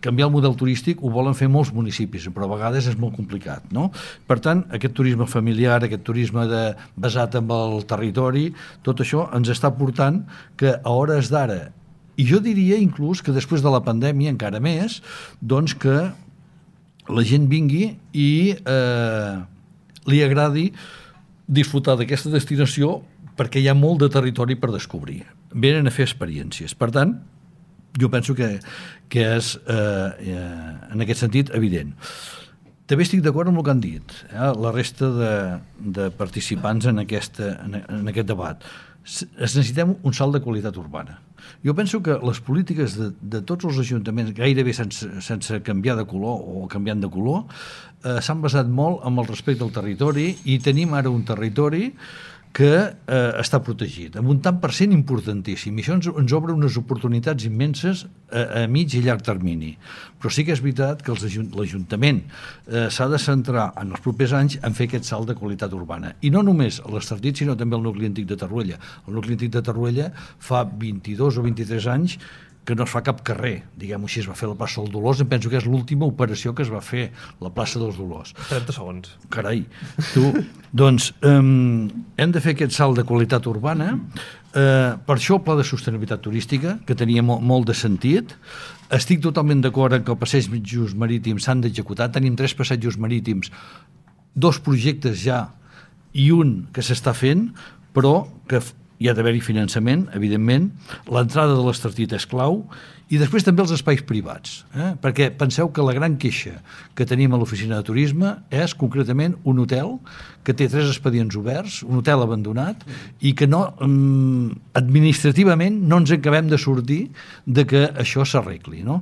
canviar el model turístic ho volen fer molts municipis, però a vegades és molt complicat, no? Per tant, aquest turisme familiar, aquest turisme basat en el territori, tot això ens està portant que a hores d'ara, i jo diria inclús que després de la pandèmia encara més, doncs que la gent vingui i li agradi disfrutar d'aquesta destinació perquè hi ha molt de territori per descobrir. Venen a fer experiències. Per tant, jo penso que és, en aquest sentit, evident. També estic d'acord amb el que han dit, la resta de participants en aquest debat. Necessitem un salt de qualitat urbana. Jo penso que les polítiques de tots els ajuntaments, gairebé sense canviar de color o canviant de color, s'han basat molt en el respecte al territori i tenim ara un territori que està protegit, amb un tant per cent importantíssim. I això ens obre unes oportunitats immenses a mig i llarg termini. Però sí que és veritat que l'Ajuntament s'ha de centrar en els propers anys en fer aquest salt de qualitat urbana. I no només a l'Estartit, sinó també al nucli antic de Torroella. El nucli antic de Torroella fa 22 o 23 anys que no es fa cap carrer, diguem-ho així, es va fer la plaça dels Dolors, em penso que és l'última operació que es va fer, la plaça dels Dolors. 30 segons. Carai, doncs hem de fer aquest salt de qualitat urbana, per això el pla de sostenibilitat turística, que tenia molt de sentit. Estic totalment d'acord en que els passejos marítims s'han d'executar, tenim 3 passejos marítims, 2 projectes ja i un que s'està fent, però que hi ha d'haver-hi finançament, evidentment, l'entrada de l'Estartit és clau, i després també els espais privats, perquè penseu que la gran queixa que tenim a l'oficina de turisme és concretament un hotel que té 3 expedients oberts, un hotel abandonat, i que no, administrativament no ens acabem de sortir de que això s'arregli, no?